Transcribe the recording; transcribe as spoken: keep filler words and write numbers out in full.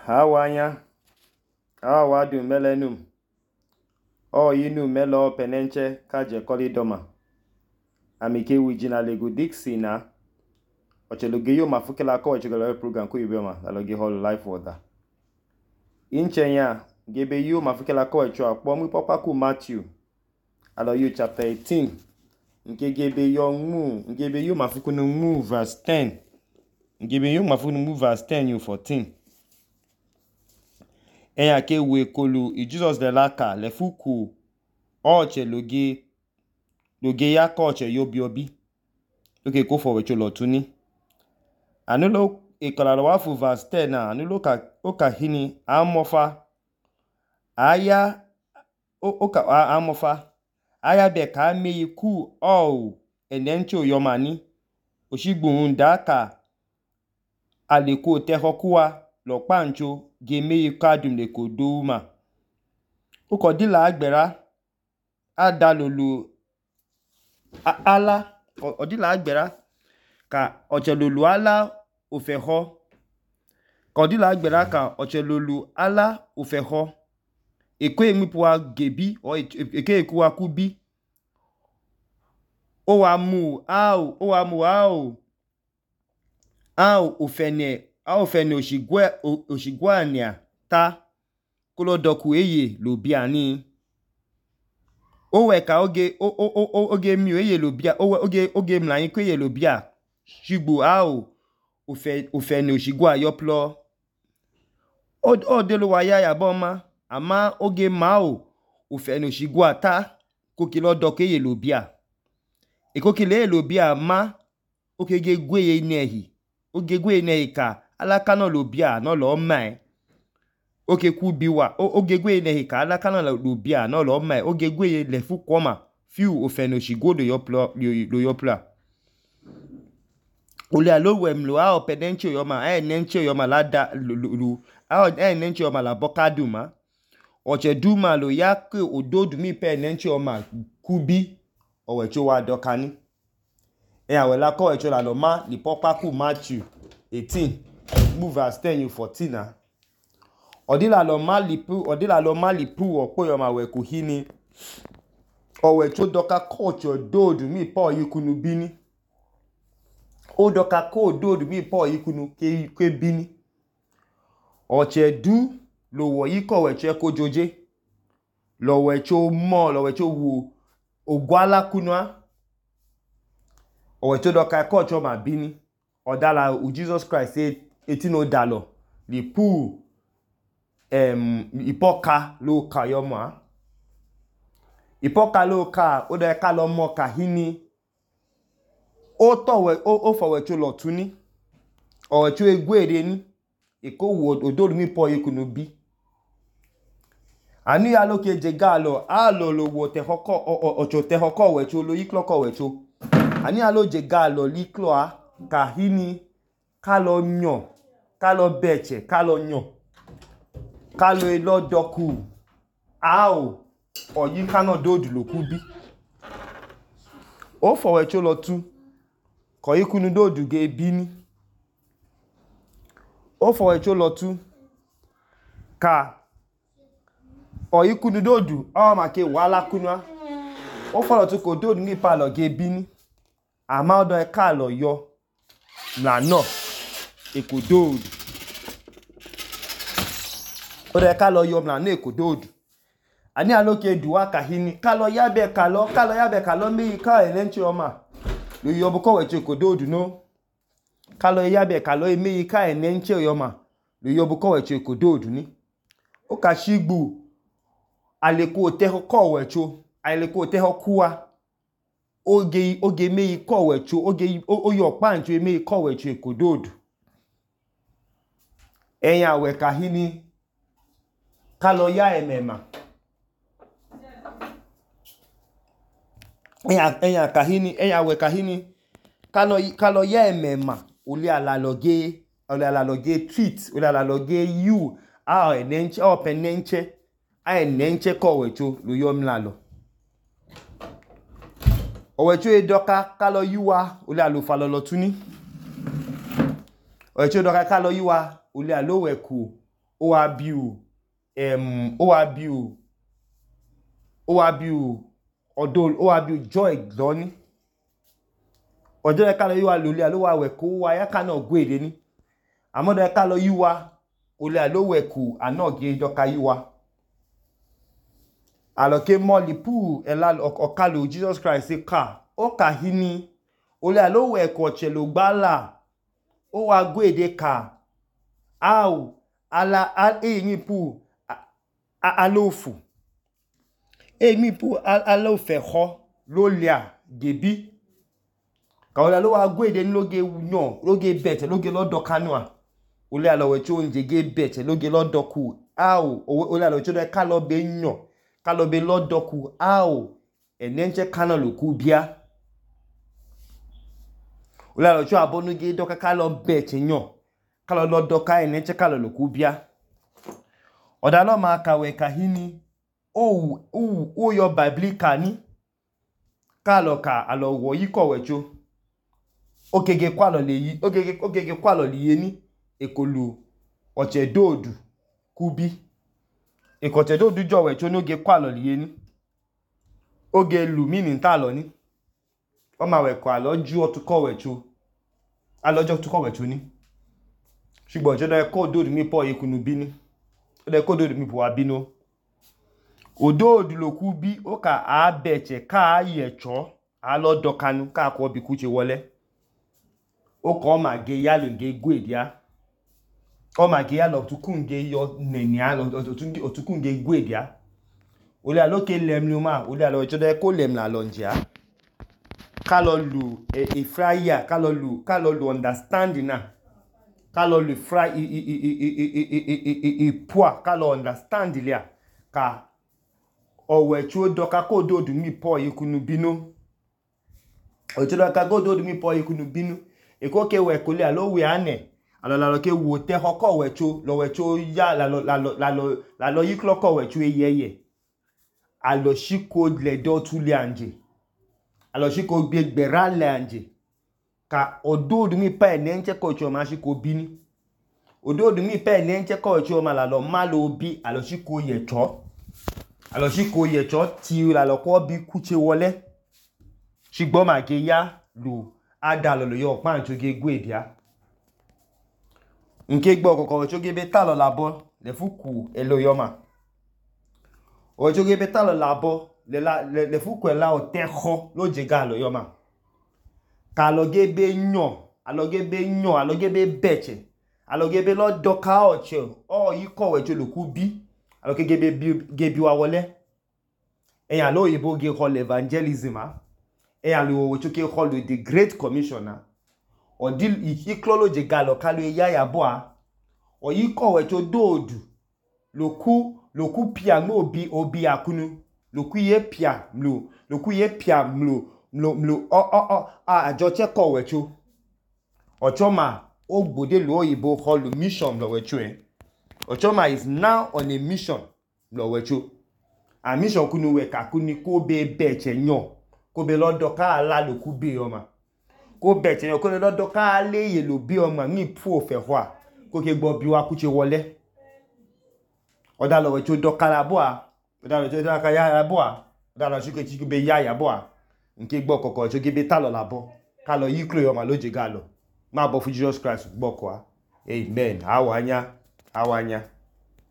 Hawanya, awadu melenum, o yinu melo penenche kaje kolidoma. Amike wijina legu dixi na. Ocheloge yo mafukela ko ochegolo program ko yubema aloge hall life water. Inchenya gebe yo mafukela ko echo akpo mu papa ku Matthew. Alo yo chapter eighteen. Nke gebe yo mu, ngebe yo mafukunu mu verse ten. Ngebe yo mafukunu mu verse ten you fourteen. Eya ke we kolu i Jesus de laka le fuku oche loge loge ya ko oche yobi obi. Oke ko for wecho lotuni. Anulo ikola lo wafu verse ten na anulo ka oka hini amofa aya oka amofa aya be ka me ku o enencho yomani oshigbo ndaka aleko tehokuwa lo pancho geme kadum le koduma ukodila agbera adalulu ala odila agbera ka ochelulu ala ofeho kodila agbera ka ochelulu ala ofeho eko emipuwa gebi o eke ekuwa kubi o wa mu au o wa mu au au ofene au ofene oshigwe oshigwania ta kolo doku eye lobiani o we ka oge o o oge mi eye lobia o oge oge mlan ko eye lobia shigbo au ofe ofene oshigwa yoplo o o delo wa ya ya boma ama oge ma o ofene oshigwa ta ko kilo doku eye lobia eko kile lobia ma okege gweye nehi oge gweye nehi ka alaka no lobia no lo mai oke ku biwa oge gweye nehi ka alaka no lobia no lo mai oge gweye le fu kwoma fiu ofene oshigwo do yoplo do yopla ole alowe mlo a openenche yoma a enenche yoma lada lu a enenche yoma la bokaduma oche duma lo yake ododu mi pe enenche yoma kubi owecho wa dokani e awela ko echo la lo ma li popa ku Matthew eighteen move verse ten you fourteen na odila lo ma li pu odila lo ma li pu opo yoma we ku hini owecho doka kocho dodu mi po yikunu bini o doka ko dodu mi po yikunu ke ke bini oche du lo wo yiko weche ko joje lo wecho mo lo wecho wu ogwala kunwa owecho doka kocho ma bini odala u Jesus Christ say eighteen odalo li pu em ipoka lo ka yoma ipoka lo ka o de ka lo mo ka hini o to we o o fowecho lotuni owecho egwere ni eko wo odoru mi po yikunu bi ani ya lo ke je galo alo lo wo te hoko ocho te hoko wecho lo yiklo ko wecho ani ya lo je galo liklo a ka hini ka lo nyo ka lo beche ka lo nyo ka lo elo doku ao oyi kano dodu lo kubi o fowecho lotu ko yikunu dodu ge bini o fowecho lotu ka oyikunu dodu o ma ke wala kunwa o folotu ko dodu ni pa lo ge bini ama odo e ka lo yo na no eko dodu odo e ka lo yo na no eko dodu ani aloke duwa ka hini ka lo yabe ka lo ka lo yabe ka lo mi ka enenche oma lo yo bu ko weche eko dodu no ka lo yabe ka lo mi ka enenche yoma lo yo bu ko weche eko dodu ni o ka shigbu aleko te ko wecho aleko te kuwa oge oge meyi ko wecho oge oyo pancho meyi ko wecho eko dodu eyan we ka hini ka lo ya emema eyan eyan ka hini eyan we ka hini ka lo ka lo ya emema ole ala loge ole ala loge treat ole ala loge you a enenche o penenche a enenche ko wecho lo yo mlalo owecho edoka ka lo yiwa ole alo fa lolotuni owecho edoka ka lo yiwa ole alo we ku ó wá bí o em ó wá bí o ó wá bí o ọ̀dọ̀ ó wá bí o joy lọ́ní ọjọ́ ẹ̀ka lọ yíwa lólè àlówà wẹ̀kú wa yáka náà gbé èdè ní àmọ́dọ̀ ẹ̀ka lọ yíwa olè àlówẹ̀kú ànáàgé dọ́ka yíwa àlọ́ké mọ́lì pú ẹ̀lá ọ̀kálò Jesus Christ ká ó kà hí ní olè àlówẹ̀kú ọ̀chẹ̀ ló gbálà ó wá gbé èdè ká áò ala èyí pú alóòfù èyí pú alóòfẹ̀kọ́ lólè à gèbí kàwọ́lá ló wá gbé èdè ní lóge yàn lóge bẹ̀tẹ̀ lóge lọ́dọ̀ kánúà olè àlọ́wẹ̀ tí ó ń jẹgé bẹ̀tẹ̀ lóge lọ́dọ̀ kù áò olè àlọ́wẹ̀ tí ó dẹ̀ ká lọ bẹ yàn ká lọ bẹ lọ́dọ̀ kù áò ẹ̀nẹ́ńjẹ́ kánà ló kú bíá olè àlọ́wẹ̀ tí ó àbọ́núgé dọ́ká ká lọ bẹ̀tẹ̀ yàn ká lọ lọ́dọ̀ ká ẹ̀nẹ́ńjẹ́ ká lọ kú bíá ọ̀dà náà máa kàwẹ̀ kàhí ni ó yọ bàbílíkà ní ká lọ kà àlọ́wọ̀ yí kọ̀wẹ̀ tí ó ogege kwalọ le yi ogege ogege kwalọ le ye ni ekolu ọ̀chẹ̀ doodu kubi ikoche doodu jowe cho noge kwalọ le ye ni oge lu mini ta lo ni o ma we ko alo ju otuko we cho alojo tuko we cho ni ṣùgbọ́n je do ko doodu mi po ikunu bi ni o de ko doodu mi po wa binu odoodu lo kubi o ka a beche ka yecho alo dokanu ka ko bi ku che wọlé ó kọ́ ma ge ya lo ge gwe dia ó ma ge ya lo tukun ge yo neni a lo tukun ge gwe dia ó lè aloke lem ni o ma ó lè alo jo de ko lem la lo nja ká lọ lu e fryer ká lọ lu ká lọ lu understanding na ká lọ lu fry i i i i i poa ká lọ understand ile a ka owe tí ó doka ko doodu mi po ikunu binu o tí ó doka ko doodu mi po ikunu binu eko ke we kole alowe ane alolalo ke wo te hoko wecho lo wecho ya la lo la lo la lo la lo yi kloko wecho eyeye alo shiko le do tule anje alo shiko gbe gbera le anje ka ododu mi pa ene nche ko cho ma shiko bini ododu mi pa ene nche ko cho ma la lo ma lo bi alo shiko yecho alo shiko yecho ti la lo ko bi kuche wọlé ṣùgbọ́n ma ge ya lu ada lo yo pa ncho ge gwe dia nke gbo kokoro cho ge be ta lo labo le fuku elo yoma o cho ge be ta lo labo le la le fuku ela o tejo lo je ga lo yoma ka lo ge be nyon alo ge be nyon alo ge be beche alo ge be lo doka oche o yi kowe cho lo ku bi alo ke ge be ge bi wa wọlé eyan lo yibo ge call evangelism a e alu wo choke call the great commissioner o dil iklolo je galo kalu ya ya boa o yi kowe cho doodu loku loku pia mo obi obi akunu loku ye pia mlo loku ye pia mlo mlo mlo o o o a ajo che kowe cho ochoma ogbode lo oyibo call mission lo wecho e ochoma is now on a mission lo wecho a mission kunu we kakuni ko be beche nyon ko be lọ́dọ̀ ka ala lo ku be oma ko be che ko le lọ́dọ̀ ka ale ye lo bi oma mi pu ofe hwa ko ke gbo bi wa ku che wọlé oda lo we cho doka la boa oda lo cho doka ya la boa oda lo chike chike be ya ya boa nke gbo kokko cho ge be ta lo la bo ka lo yi klo oma lo je ga lo ma bo fu Jesus Christ gbo ko a amen awanya awanya